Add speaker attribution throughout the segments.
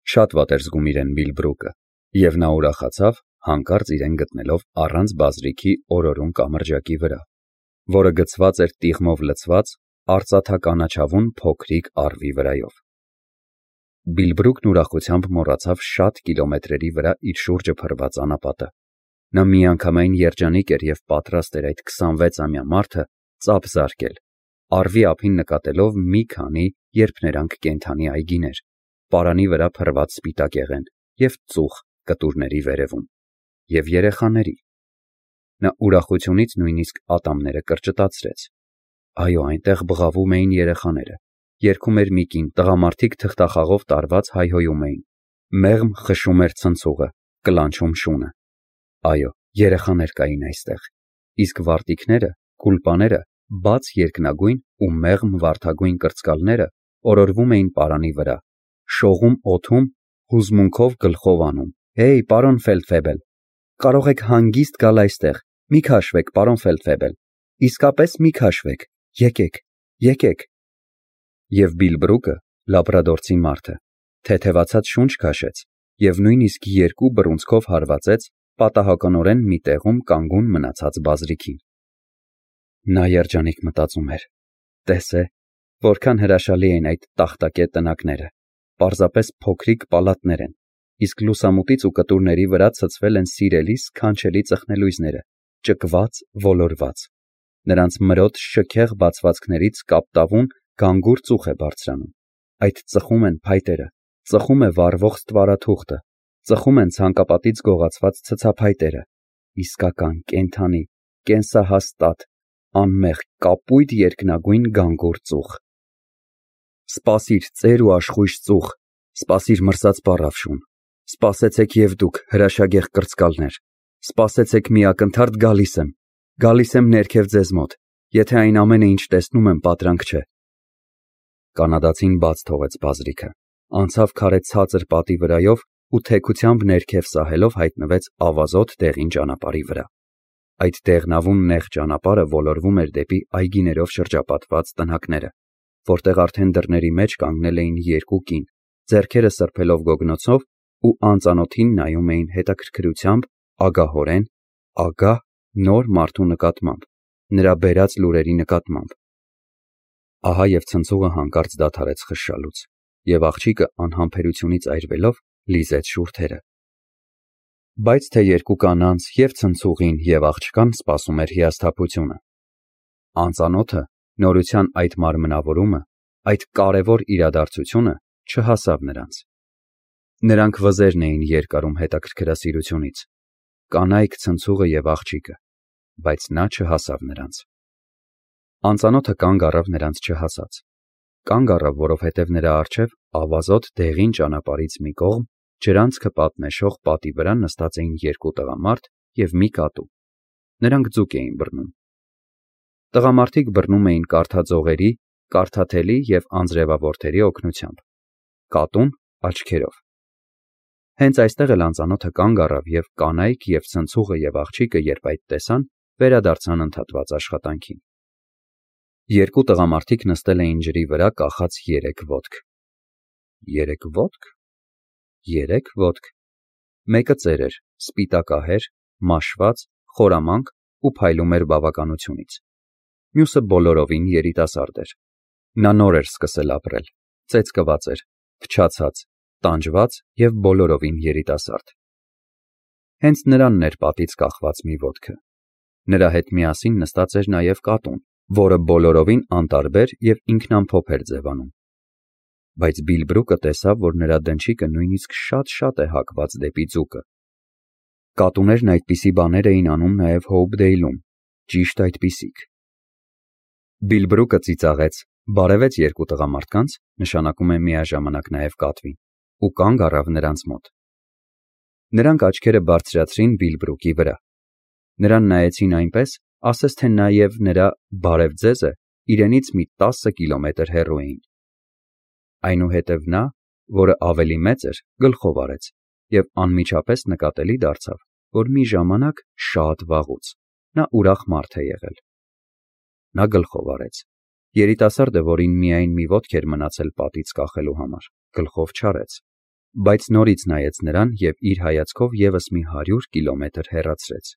Speaker 1: Շատ վատ էր զգում իրեն Բիլբրուկը, և նա ուրախացավ, հանկարծ իրեն գտնելով առանց բազրիքի օրորուն կամրջակի վրա, որը գցված էր տիղմով լցված արծաթականաչավուն փոքրիկ առվի վրայով։ Բիլբրուկն ուրախությամբ մոռացավ շատ կիլոմետրերի վրա իր շուրջը փռված անապատը։ Նա միանգամայն երջանիկ էր և պատրաստ էր այդ 26-ամյա մարդը ծափ զարկել, առվի ափին նկատելով մի քանի, երբ նրանք կենդանի այգիներ, պարանի վրա փռված սպիտակեղեն և ծուխ կտուրների վերևում, և երեխաների։ Նա ուրախությունից նույնիսկ ատամները կրճտացրեց։ Այո, այնտեղ բղավում էին երեխաները, երգում էր մի կին, տղամարդիկ թղթախաղով տարված հայհոյում էին, մեղմ խշում էր ցնցուղը, կլանչում շունը։ Այո, երեխաներ կային այստեղ, իսկ վարտիքները, գուլպաները, բաց երկնագույն ու մեղմ վարդագույն կրծկալները օրորվում էին պարանի վրա, շողում օդում, հուզմունքով գլխով անում. «Հեյ, պարոն Ֆեյլդֆեբել, կարող եք հանգիստ գալ այստեղ, մի քաշվեք, պարոն Ֆեյլդֆեբել, իսկապես մի քաշվեք, եկեք»։ Եվ Բիլբրուկը, լաբրադորցի մարդը, թեթևացած շունչ քաշեց և նույնիսկ երկու բռունցքով հարվածեց պատահականորեն մի տեղում կանգուն մնացած բազրիքին։ Նա երջանիկ մտածում էր. «Տես է, որքան հրաշալի են այդ տախտակե տնակները, պարզապես փոքրիկ պալատներ են, իսկ լուսամուտից ու կտուրների վրա ցցվել են սիրելի սքանչելի ծխնելույզները, ճկված, ոլորված։ Նրանց մրոտ շքեղ բացվածքներից կապտավուն գանգուր ծուխ է բարձրանում, այդ ծխում են փայտերը, ծխում է վառվող ստվարաթուղթը, ծխում են ցանկապատից գողացված ցցափայտերը, իսկական, կենդանի, կենսահաստատ, անմեղ, կապույտ երկնագույն գանգուր ծուխ։ Սպասիր, ծեր ու աշխույժ ծուխ, սպասիր մրսած պառավշուն, սպասեցեք և դուք, հրաշագեղ կրծկալներ, սպասեցեք մի ակնթարթ գալիս եմ ներքև ձեզ մոտ, եթե այն ամենը, ինչ տեսնում եմ, պատրանք չէ։ Կանադացին բաց թողեց բազրիքը, անցավ քարե ցածր պատի վրայով ու թեքությամբ ներքև սահելով հայտնվեց ավազոտ դեղին ճանապարհի վրա։ Այդ դեղնավուն նեղ ճանապարհը ոլորվում էր դեպի այգիներով շրջապատված տնակները, որտեղ արդեն դռների մեջ կանգնել էին երկու կին, ձեռքերը սրբելով գոգնոցով ու անծանոթին նայում էին հետաքրքրությամբ, ագահորեն, ագահ նոր մարդու նկատմամբ, նրա բերած լուրերի նկատմամբ։ Ահա և ցնցուղը հանկարծ դադարեց խշշալուց, և աղջիկը անհամբերությունից այրվելով լիզեց շուրթերը։ Բայց թե երկու կանանց, և ցնցուղին, և աղջկան սպասում էր հիասթափությունը։ Անծանոթը նորության այդ մարմնավորումը, այդ կարևոր իրադարձությունը չհասավ նրանց։ Նրանք վզերն էին երկարում հետաքրքրասիրությունից, կանայք, ցնցուղը և աղջիկը, բայց նա չհասավ նրանց։ Անծանոթը կանգ առավ նրանց չհասած։ Կանգ առավ, որովհետև նրա առջև ավազոտ դեղին ճանապարհից մի կողմ ջրանցքը պատնեշող պատի վրա նստած էին երկու տղամարդ և մի կատու։ Նրանք ձուկ էին բռնում։ Տղամարդիկ բռնում էին կարթաձողերի, կարթաթելի և անձրևավորների օգնությամբ, կատուն աչքերով։ Հենց այստեղ էլ անծանոթը կանգ առավ, և կանայք, և ցնցուղը, և աղջիկը, երբ այդ տեսան, վերադարձան ընդհատված աշխատանքին։ Երկու տղամարդիկ նստել էին ջրի վրա կախած երեք ոտք։ Երեք ոտք։ Մեկը ծեր էր, սպիտակահեր, մաշված, խորամանկ ու փայլում էր բավականությունից։ Մյուսը բոլորովին երիտասարդ էր։ Նա նոր էր սկսել ապրել, ծեծկված էր, փչացած, տանջված և բոլորովին երիտասարդ։ Հենց նրանն էր պատից կախված մի ոտքը։ Նրա հետ միասին նստած էր նաև կատուն, որը բոլորովին անտարբեր և ինքնամփոփ էր ձևանում։ Բայց Բիլբրուկը տեսավ, որ նրա դնչիկը նույնիսկ շատ է հակված դեպի ձուկը։ Կատուներն այդպիսի բաներ էին անում նաև Հոուփդեյլում, ճիշտ այդպիսիք։ Բիլբրուկը ծիծաղեց, բարևեց երկու տղամարդկանց, նշանակում է միաժամանակ նաև կատվին, ու կանգ առավ նրանց մոտ։ Նրանք աչքերը բարձրացրին Բիլբրուկի վրա։ Նրան նայեցին այնպես, ասես թե նա և նրա «բարև ձեզը» իրենից մի 10 կիլոմետր հեռու էին։ Այնուհետև նա, որը ավելի մեծ էր, գլխով արեց և անմիջապես նկատելի դարձավ, որ մի ժամանակ շատ վաղուց նա ուրախ մարդ է եղել։ Նա գլխով արեց։ Երիտասարդը, որին միայն մի ոտք էր մնացել պատից կախելու համար, գլխով չարեց։ բայց նորից նայեց նրան և իր հայացքով ևս մի 100 կիլոմետր հեռացրեց։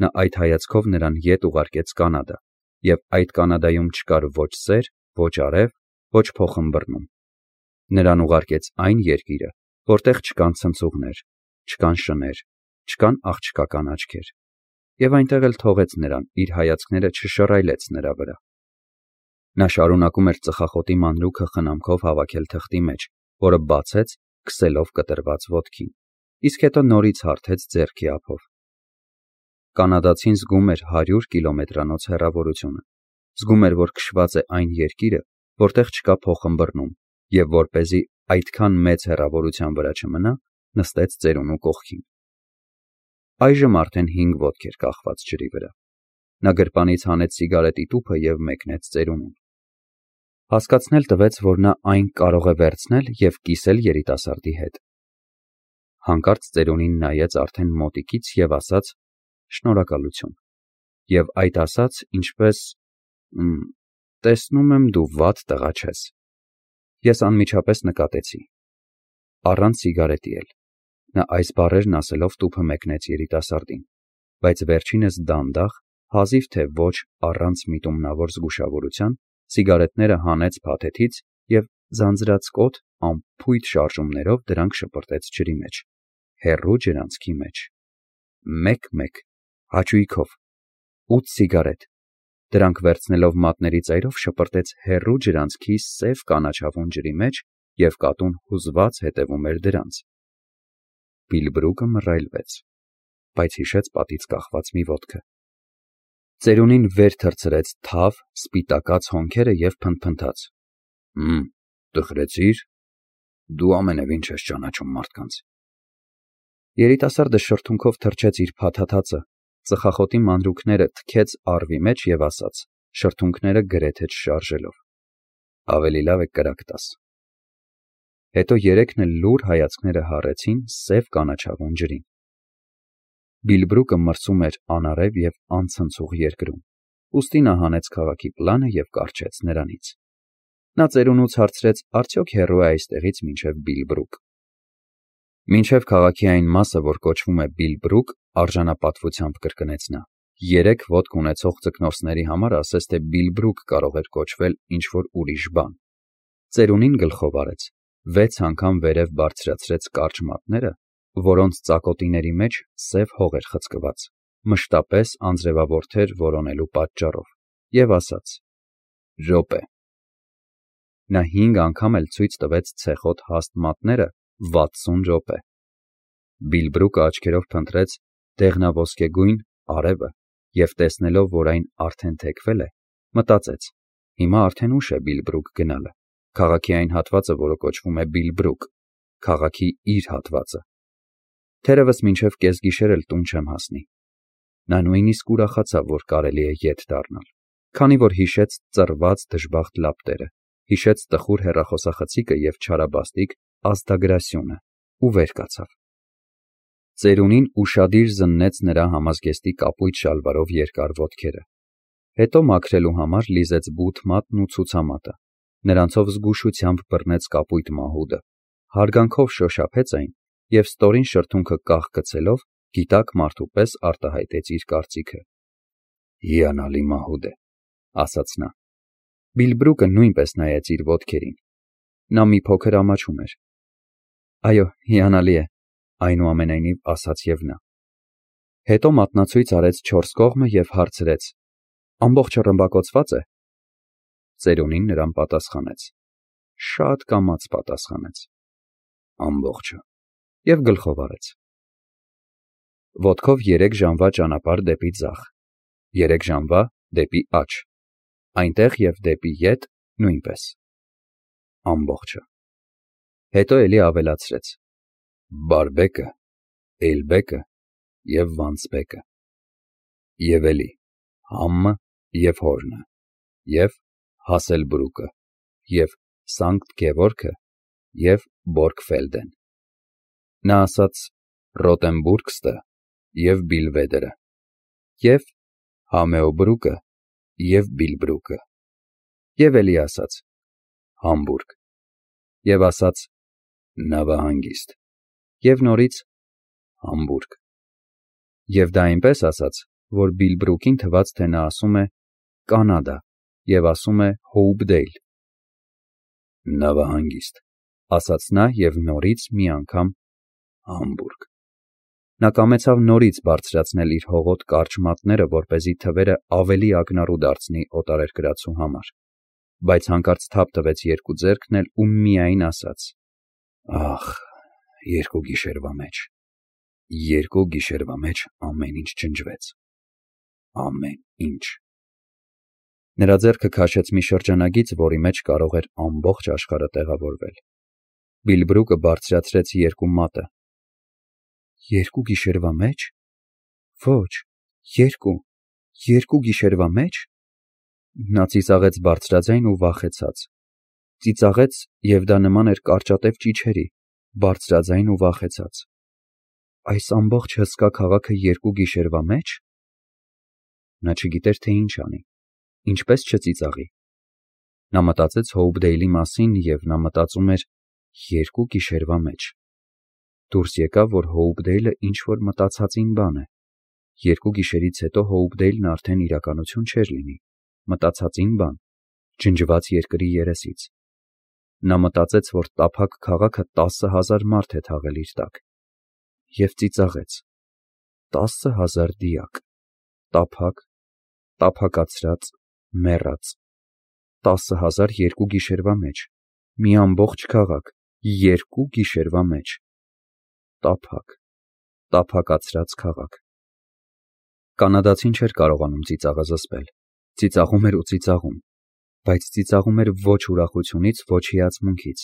Speaker 1: Նա այդ հայացքով նրան ետ ուղարկեց Կանադա, և այդ Կանադայում չկար ոչ սեր, ոչ արև, ոչ փոխըմբռնում։ Նրան ուղարկեց այն երկիրը, որտեղ չկան ցնցուղներ, չկան շներ, չկան աղջկական աչքեր, և այնտեղ էլ թողեց նրան, իր հայացքները չշռայլեց նրա վրա։ Նա շարունակում էր ծխախոտի մանրուքը խնամքով հավաքել թղթի մեջ, որը բացեց, քսելով կտրված ոտքին, իսկ հետո նորից հարթեց ձեռքի ափով։ Կանադացին զգում էր 100 կիլոմետրանոց հեռավորությունը, զգում էր, որ քշված է այն երկիրը, որտեղ չկա փոխըմբռնում, և որպեսզի այդքան մեծ հեռավորության վրա չմնա, նստեց ծերունու կողքին։ Այժմ արդեն 5 ոտք էր կախված ջրի վրա։ Նա գրպանից հանեց սիգարետի տուփը և մեկնեց ծերունուն։ Հասկացնել տվեց, որ նա այն կարող է վերցնել և կիսել երիտասարդի հետ։ Հանկարծ ծերունին նայեց արդեն մոտիկից և ասաց. «Շնորհակալություն»։ Եվ այդ ասաց, ինչպես. «Տեսնում եմ, դու վատ տղա չես»։ Ես անմիջապես նկատեցի։ Առանց սիգարետի էլ։ Նա այս բառերն ասելով տուփը մեկնեց երիտասարդին, բայց վերջինս դանդաղ, հազիվ թե ոչ առանց միտումնավոր զգուշավորության, սիգարետները հանեց փաթեթից և ձանձրացկոտ, անփույթ շարժումներով դրանք շպրտեց ջրի մեջ, հեռու ջրանցքի մեջ։ Մեկ, հաճույքով, 8 սիգարետ։ Դրանք վերցնելով մատների ծայրով շպրտեց հեռու ջրանցքի սև կանաչավուն ջրի մեջ և կատուն հուզված հետևում էր դրանց։ Բիլբրուկը մռայլվեց, բայց հիշեց պատից կախված մի ոտքը։ Ծերունին վեր թռցրեց թավ, սպիտակած հոնքերը և փնթփնթաց. Տխրեցի՞ր։ Դու ամենևին չես ճանաչում մարդկանց։ Երիտասարդը շրթունքով թռչեց իր փաթաթածը, ծխախոտի մանրուքները թքեց առվի մեջ և ասաց, շրթունքները գրեթե չշարժելով. «Ավելի լավ է կրակ տաս»։ Հետո երեքն էլ լուռ հայացքները հառեցին սև կանաչավուն ջրին։ Բիլբրուկը մրսում էր անարև և անցնցուղ երկրում, ուստի նա հանեց քաղաքի պլանը և կառչեց նրանից։ Նա ծերունուց հարցրեց, արդյոք հեռու է այստեղից մինչև Բիլբրուկ։ Մինչև քաղաքի այն մասը, որ կոչվում է Բիլբրուկ, արժանապատվությամբ կրկնեց նա։ 3 ոտք ունեցող ձկնորսների համար ասես թե Բիլբրուկ կարող էր կոչվել ինչ-որ ուրիշ բան։ Ծերունին գլխով արեց, 6 անգամ վերև բարձրացրեց կարճ մատները, որոնց ծակոտիների մեջ սև հող էր խցկված, մշտապես անձրևավորթեր որոնելու պատճառով, և ասաց. «Րոպե»։ Նա 5 անգամ էլ ցույց տվեց ցեխոտ հաստ մատները 60 րոպե։ Բիլբրուկը աչքերով փնտրեց դեղնաոսկեգույն արևը և տեսնելով, որ այն արդեն թեքվել է, մտածեց. հիմա արդեն ուշ է Բիլբրուկ գնալը, քաղաքի այն հատվածը, որը կոչվում է Բիլբրուկ, քաղաքի իր հատվածը։ Թերևս մինչև կեսգիշեր էլ տուն չեմ հասնի։ Նա նույնիսկ ուրախացավ, որ կարելի է ետ դառնալ, քանի որ հիշեց ծռված դժբախտ լապտերը, հիշեց տխուր հեռախոսախցիկը և չարաբաստիկ ազդագրասյունը ու վեր կացավ։ Ծերունին ուշադիր զննեց նրա համազգեստի կապույտ շալվարով երկար ոտքերը, հետո մաքրելու համար լիզեց բութ մատն ու ցուցամատը, նրանցով զգուշությամբ բռնեց կապույտ մահուդը, հարգանքով շոշափեց այն և ստորին շրթունքը կախ գցելով գիտակ մարդու պես արտահայտեց իր կարծիքը։ «Հիանալի մահուդ է», ասաց նա։ Բիլբրուկը նույնպես նայեց իր ոտքերին։ Նա մի փոքր ամաչում էր։ «Այո, հիանալի է», այնուամենայնիվ ասաց և նա։ Հետո մատնացույց արեց 4 կողմը և հարցրեց. «Ամբողջը ռմբակոծվա՞ծ է»։ Ծերունին նրան պատասխանեց։ Շատ կամաց պատասխանեց. «Ամբողջը» և գլխով արեց։ Ոտքով 3 ժամվա ճանապարհ դեպի ձախ, 3 ժամվա դեպի աջ, այնտեղ և դեպի ետ նույնպես։ Ամբողջը։ Հետո էլի ավելացրեց. Բարբեկը, Էյլբեկը և Վանցբեկը, և էլի Համմը և Հորնը, և Հասելբրուկը, և Սանկտ Գևորգը և Բորգֆելդեն։ Նա ասաց Ռոտենբուրգստը և Բիլվեդերը, և Համեոբրուկը և Բիլբրուկը, և էլի ասաց Համբուրգ, և ասաց Նավահանգիստ։ Եվ նորից Համբուրգ։ Եվ դա այնպես ասաց, որ Բիլ Բրուկին թվաց, թե նա ասում է Կանադա և ասում է Հոուպդեյլ։ Նավահանգիստ, ասաց նա և նորից մի անգամ Համբուրգ։ Նա կամեցավ նորից բարձրացնել իր հողոտ կարճ մատները, որպեսզի թվերը ավելի ակնառու դարձնի օտարերկրացու համար, բայց հանկարծ թափ տվեց երկու ձեռքն էլ ու միայն ասաց. Ախ, երկու գիշերվա մեջ ամեն ինչ ջնջվեց, ամեն ինչ։ Նրա ձեռքը քաշեց մի շրջանագիծ, որի մեջ կարող էր ամբողջ աշխարհը տեղավորվել։ Բիլ Բրուկը բարձրացրեց երկու մատը։ Երկու գիշերվա մեջ։ Ոչ, երկու գիշերվա մեջ։ Նա ծիծաղեց բարձրաձայն ու վախեցած։ Ծիծաղեց, և դա նման էր կարճատև ճիչերի, բարձրաձայն ու վախեցած։ Այս ամբողջ հսկա քաղաքը երկու գիշերվա մեջ։ Նա չգիտեր, թե ինչ անի, ինչպես չծիծաղի։ Նա մտածեց Հոուպդեյլի մասին, և նա մտածում էր երկու գիշերվա մեջ։ Դուրս եկավ, որ Հոուպդեյլը ինչ-որ մտածածին բան է։ Երկու գիշերից հետո Հոուպդեյլն արդեն իրականություն չէր լինի, մտածածին բան, ջնջված երկրի երեսից։ Նա մտածեց, որ տափակ քաղաքը 10,000 մարդ է թաղել իր տակ։ Եվ ծիծաղեց։ 10,000 դիակ, տափակ, տափակացրած, մեռած։ 10,000 երկու գիշերվա մեջ, մի ամբողջ քաղաք, երկու գիշերվա մեջ։ Տափակ, տափակացրած քաղաք։ Կանադացին չէր կարողանում ծիծաղը զսպել։ Ծիծաղում էր ու ծիծաղում, բայց ծիծաղում էր ոչ ուրախությունից, ոչ հիացմունքից։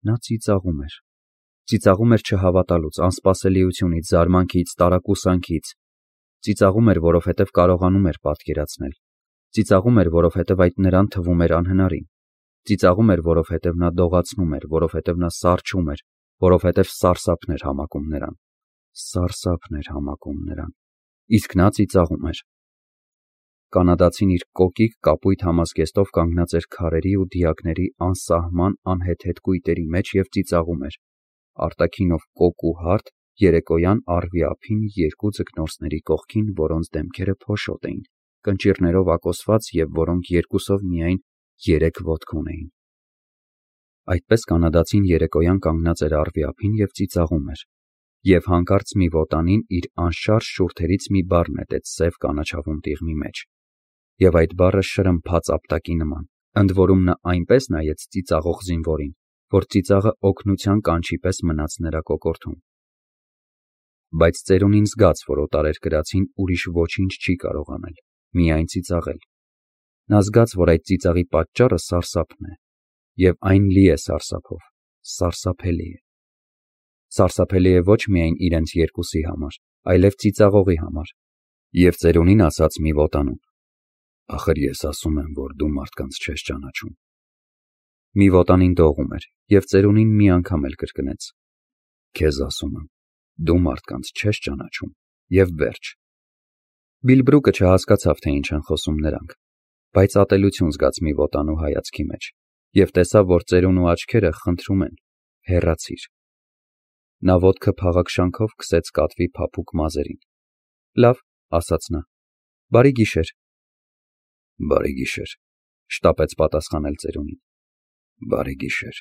Speaker 1: Նա ծիծաղում էր։ Ծիծաղում էր չհավատալուց, անսպասելիությունից, զարմանքից, տարակուսանքից։ Ծիծաղում էր, որովհետև կարողանում էր պատկերացնել։ Ծիծաղում էր, որովհետև այդ նրան թվում էր անհնարին։ Ծիծաղում էր, որովհետև նա դողացնում էր, որովհետև նա սառչում էր, որովհետև սարսափն էր համակում նրան։ Սարսափն էր համակում նրան։ Իսկ նա ծիծաղում էր։ Կանադացին իր կոկիկ կապույտ համազգեստով կանգնած էր քարերի ու դիակների անսահման անհեթեթ կույտերի մեջ և ծիծաղում էր։ Արտաքինով կոկ ու հարթ, երեկոյան առվի ափին երկու ձկնորսների կողքին, որոնց դեմքերը փոշոտ էին, կնճիռներով ակոսված և որոնք երկուսով միայն 3 ոտք ունեին։ Այդպես կանադացին երեկոյան կանգնած էր առվի ափին և ծիծաղում էր, և հանկարծ մի վոտանին իր անշարժ շուրթերից մի բառ նետեց սև կանաչավուն տիղմի մեջ, և այդ բառը շրմփաց ապտակի նման, ընդ որում նա այնպես նայեց ծիծաղող զինվորին, որ ծիծաղը օգնության կանչի պես մնաց նրա կոկորդում։ Բայց ծերունին զգաց, որ օտարերկրացին ուրիշ ոչինչ չի կարող անել, միայն ծիծաղել։ Նա զգաց, որ այդ ծիծաղի պատճառը սարսափն է, և այն լի է սարսափով, սարսափելի է։ Սարսափելի է ոչ միայն իրենց երկուսի համար, այլև ծիծաղողի համար։ Եվ ծերունին ասաց մի վոտանուն. Ախր ես ասում եմ, որ դու մարդկանց չես ճանաչում։ Մի վոտանին դողում էր, և ծերունին մի անգամ էլ կրկնեց. Քեզ ասում եմ, դու մարդկանց չես ճանաչում, և վերջ։ Բիլ Բրուկը չհասկացավ, թե ինչ են խոսում նրանք, բայց ատելություն զգաց մի վոտանու հայացքի մեջ, և տեսավ, որ ծերունու աչքերը խնդրում են. հեռացիր։ Նա ոտքը փաղաքշանքով քսեց կատվի փափուկ մազերին։ Լավ, ասաց նա։ Բարի գիշեր։ Բարի գիշեր, շտապեց պատասխանել ծերունին։ Բարի գիշեր։